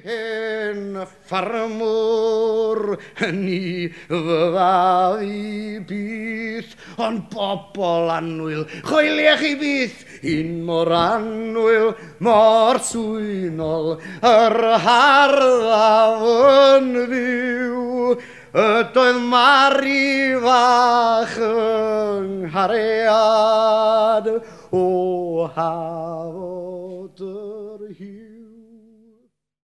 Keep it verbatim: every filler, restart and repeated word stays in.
Hen ffarmwr, ni fyddaf i byth, ond bobl annwyl, choeliech chi byth, un mor annwyl, mor swynol, yr harddaf yn fyw, ydoedd Mari fach yng nghariad, o hafod.